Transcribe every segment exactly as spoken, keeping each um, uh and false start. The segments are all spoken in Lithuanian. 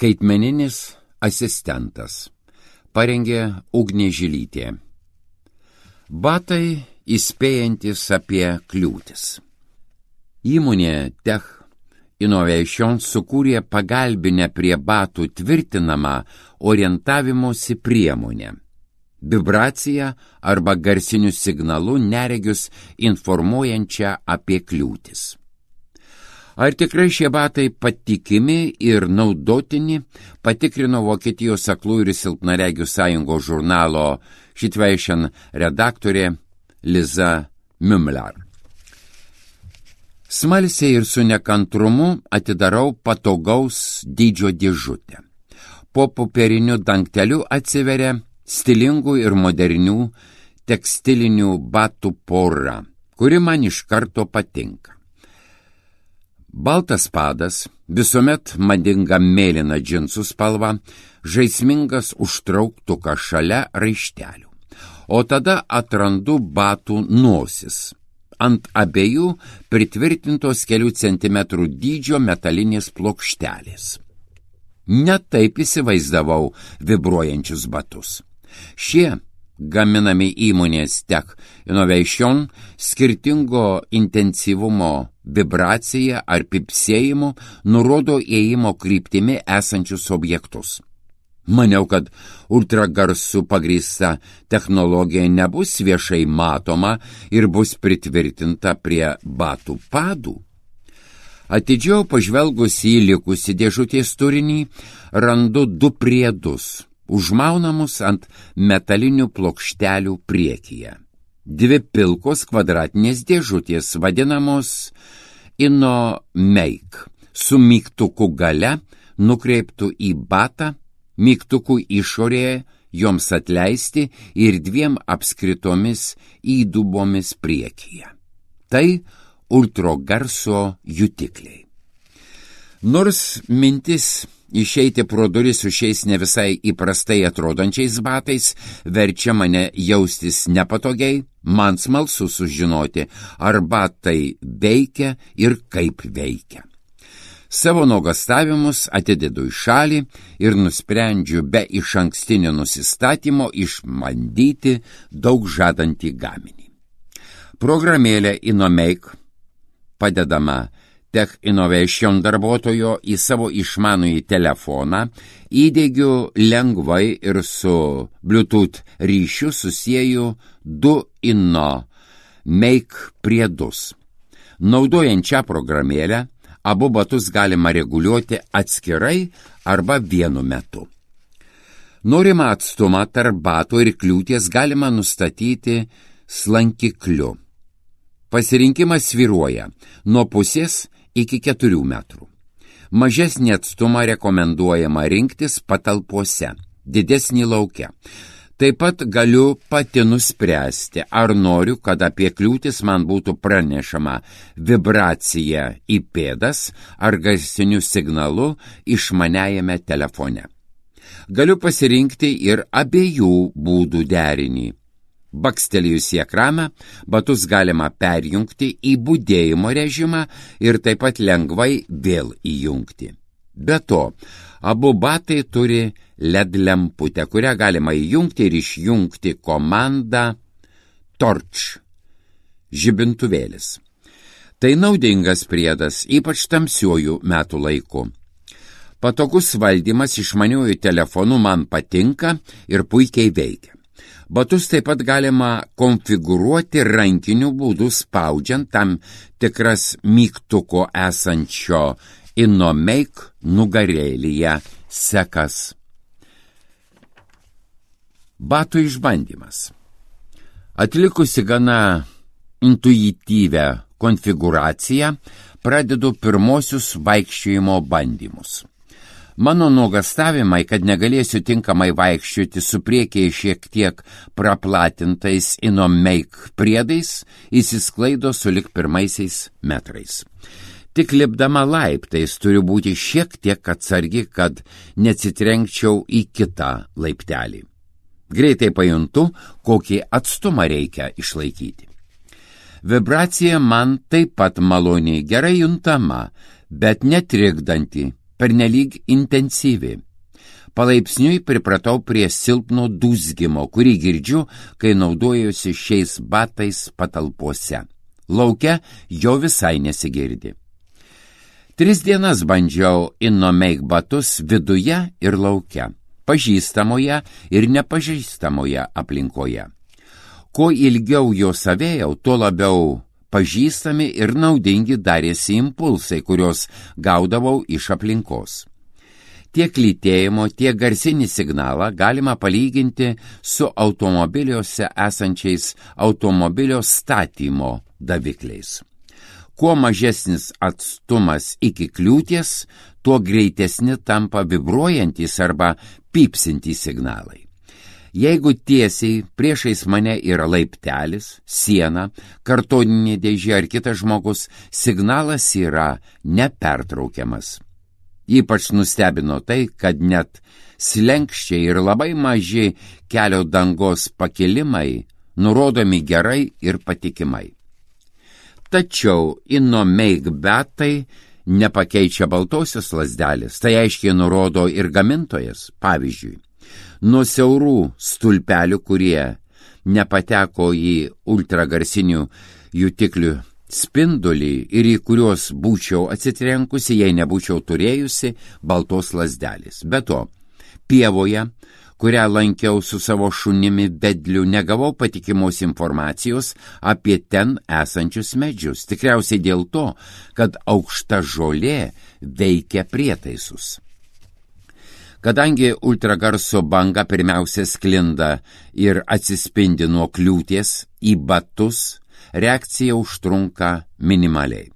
Skaitmeninis asistentas. Parengė Ugnė Žilytė. Batai įspėjantis apie kliūtis. Įmonė Tech Innovation sukūrė pagalbinę prie batų tvirtinamą orientavimosi priemonę. Vibraciją arba garsiniu signalu neregius informuojančią apie kliūtis. Ar tikrai šie batai patikimi ir naudotini, patikrino Vokietijos aklųjų ir silpnaregių sąjungos žurnalo Situation redaktorė Liza Mümmler. Smalsiai ir su nekantrumu atidarau patogaus dydžio dėžutę. Po popieriniu dangteliu atsiveria stilingų ir modernių tekstilinių batų pora, kuri man iš karto patinka. Baltas padas, visuomet madinga mėlyna džinsų spalva, žaismingas užtrauktukas šalia raištelių. O tada atrandu batų nosis. Ant abiejų pritvirtintos kelių centimetrų dydžio metalinės plokštelės. Netaip įsivaizdavau vibruojančius batus. Šie gaminami įmonės Tech Innovation skirtingo intensyvumo vibracija ar pipsėjimu nurodo ėjimo kryptimi esančius objektus. Maniau, kad ultragarsų pagrįsta technologija nebus viešai matoma ir bus pritvirtinta prie batų padų. Atidžiau pažvelgus į likusį dėžutės turinį, randu du priedus, užmaunamus ant metalinių plokštelių priekyje. Dvi pilkos kvadratinės dėžutės vadinamos InnoMake, su mygtuku gale nukreiptų į batą, mygtukų išorėje joms atleisti ir dviem apskritomis įdubomis priekyje. Tai ultragarso jutikliai. Nors mintis išeiti pro duris su šiais ne visai įprastai atrodančiais batais verčia mane jaustis nepatogiai, man smalsu sužinoti, ar batai veikia ir kaip veikia. Savo nuogastavimus atidedu į šalį ir nusprendžiu be išankstinio nusistatymo išbandyti daug žadantį gaminį. Programėlė InnoMake, padedama Tech Innovation darbuotojo į savo išmanųjį telefoną, įdiegiu lengvai ir su Bluetooth ryšiu susieju du InnoMake priedus. Naudojant šią programėlę, abu batus galima reguliuoti atskirai arba vienu metu. Norimą atstumą tarp batų ir kliūties galima nustatyti slankikliu. Pasirinkimas svyruoja nuo pusės iki keturių metrų. Mažesnį atstumą rekomenduojama rinktis patalpose, didesnį lauke. Taip pat galiu pati nuspręsti, ar noriu, kad apie kliūtis man būtų pranešama vibracija į pėdas ar garsiniu signalu išmaniajame telefone. Galiu pasirinkti ir abiejų būdų derinį. Bakstelėjus į ekraną, batus galima perjungti į budėjimo režimą ir taip pat lengvai vėl įjungti. Be to, abu batai turi L E D lemputę, kurią galima įjungti ir išjungti komandą Torch žibintuvėlis. Tai naudingas priedas, ypač tamsiuoju metų laiku. Patogus valdymas išmaniuoju telefonu man patinka ir puikiai veikia. Batus taip pat galima konfigūruoti rankiniu būdu spaudžiant tam tikras mygtuko esančio InnoMake nugarėlyje sekas. Batų išbandymas. Atlikusi gana intuityvią konfigūraciją, pradedu pirmosius vaikščiojimo bandymus. Mano nuogastavimai, kad negalėsiu tinkamai vaikščioti su priekyje šiek tiek praplatintais InnoMake priedais, įsisklaido sulig pirmaisiais metrais. Tik lipdama laiptais turiu būti šiek tiek atsargi, kad neatsitrenkčiau į kitą laiptelį. Greitai pajuntu, kokį atstumą reikia išlaikyti. Vibracija man taip pat maloniai gerai juntama, bet netrikdanti. pernelyg intensyvi. Palaipsniui pripratau prie silpno dūzgimo, kurį girdžiu, kai naudojuosi šiais batais patalpose. Lauke jo visai nesigirdi. Tris dienas bandžiau InnoMake batus viduje ir lauke, pažįstamoje ir nepažįstamoje aplinkoje. Kuo ilgiau jo savėjau, tuo labiau pažįstami ir naudingi darėsi impulsai, kurios gaudavau iš aplinkos. Tiek lytėjimo, tiek garsinį signalą galima palyginti su automobiliuose esančiais automobilio statymo davikliais. Kuo mažesnis atstumas iki kliūties, tuo greitesni tampa vibruojantys arba pypsintys signalai. Jeigu tiesiai priešais mane yra laiptelis, siena, kartoninė dėžė ar kitas žmogus, signalas yra nepertraukiamas. Ypač nustebino tai, kad net slenkščiai ir labai maži kelio dangos pakilimai nurodomi gerai ir patikimai. Tačiau InnoMake batai nepakeičia baltosios lazdelės, tai aiškiai nurodo ir gamintojas. Pavyzdžiui, nuo siaurų stulpelių, kurie nepateko į ultragarsinių jutiklių spindulį ir į kuriuos būčiau atsitrenkusi, jei nebūčiau turėjusi baltos lazdelės. Be to, pievoje, kurią lankiau su savo šunimi vedliu, negavau patikimos informacijos apie ten esančius medžius, tikriausiai dėl to, kad aukšta žolė veikia prietaisus. Kadangi ultragarso banga pirmiausia sklinda ir atsispindi nuo kliūties į batus, reakcija užtrunka minimaliai.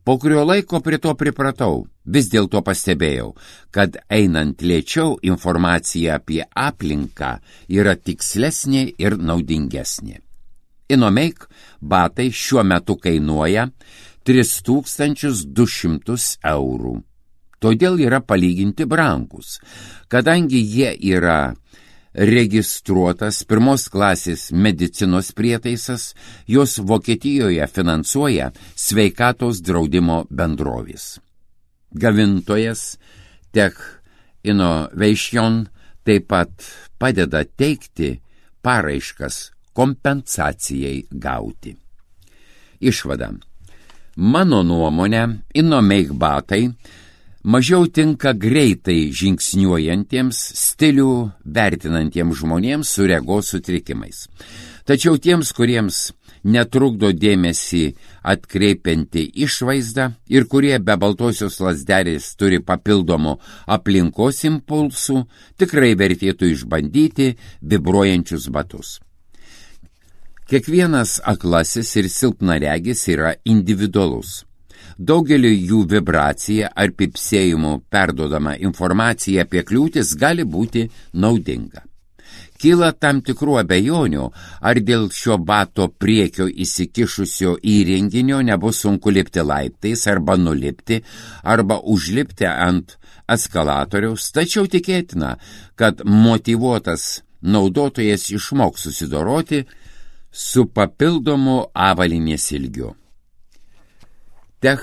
Po kurio laiko prie to pripratau, vis dėlto pastebėjau, kad einant lėčiau informacija apie aplinką yra tikslesnė ir naudingesnė. InnoMake batai šiuo metu kainuoja tris tūkstančius du šimtus eurų. Todėl yra palyginti brangus, kadangi jie yra registruotas pirmos klasės medicinos prietaisas, jos Vokietijoje finansuoja sveikatos draudimo bendrovės. Gamintojas Tech Innovation taip pat padeda teikti paraiškas kompensacijai gauti. Išvada. Mano nuomonė, InnoMake batai mažiau tinka greitai žingsniuojantiems, stilių vertinantiems žmonėms su regos sutrikimais. Tačiau tiems, kuriems netrukdo dėmesį atkreipianti išvaizda ir kurie be baltosios lazdelės turi papildomų aplinkos impulsų, tikrai vertėtų išbandyti vibruojančius batus. Kiekvienas aklasis ir silpnaregis yra individualus. Daugeliu jų vibracija ar pipsėjimų perduodama informacija apie kliūtis gali būti naudinga. Kyla tam tikrų abejonių, ar dėl šio bato priekio įsikišusio įrenginio nebus sunku lipti laiptais arba nulipti, arba užlipti ant eskalatoriaus, tačiau tikėtina, kad motyvuotas naudotojas išmoks susidoroti su papildomu avalynės ilgiu. Tech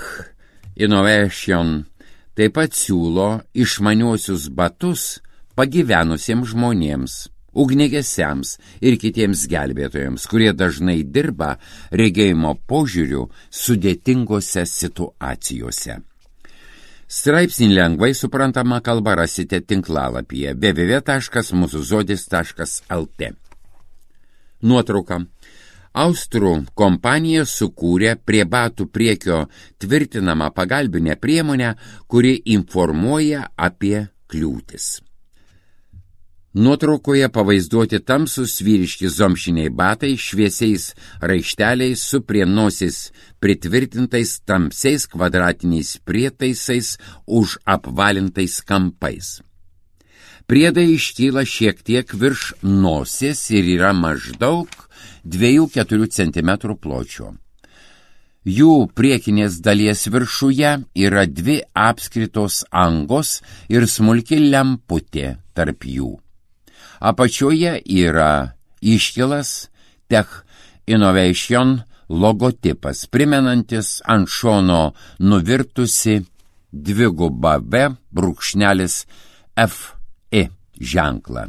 Innovation taip pat siūlo išmaniuosius batus pagyvenusiems žmonėms, ugniagesiams ir kitiems gelbėtojams, kurie dažnai dirba regėjimo požiūriu sudėtingose situacijose. Straipsnį lengvai suprantama kalba rasite tinklalapyje w w w taškas mūsų žodis taškas l t. Nuotrauka. Austrų kompanija sukūrė prie batų priekio tvirtinamą pagalbinę priemonę, kuri informuoja apie kliūtis. Nuotraukoje pavaizduoti tamsūs vyriški zomšiniai batai šviesiais raišteliais su prie nosis pritvirtintais tamsiais kvadratiniais prietaisais už apvalintais kampais. Priedai iškyla šiek tiek virš nosies ir yra maždaug dviejų keturių centimetrų pločio. Jų priekinės dalies viršuje yra dvi apskritos angos ir smulki lemputė tarp jų. Apačioje yra iškilas Tech Innovation logotipas, primenantis ant šono nuvirtusi dvigubą V brūkšnelis F I ženklą.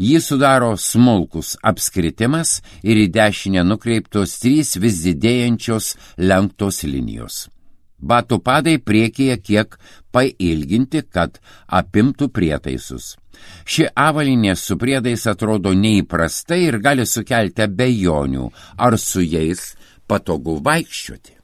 Jį sudaro smulkus apskritimas ir į dešinę nukreiptos trys vis didėjančios lenktos linijos. Batų padai priekyje kiek pailginti, kad apimtų prietaisus. Ši avalynė su priedais atrodo neįprastai ir gali sukelti abejonių, ar su jais patogu vaikščioti.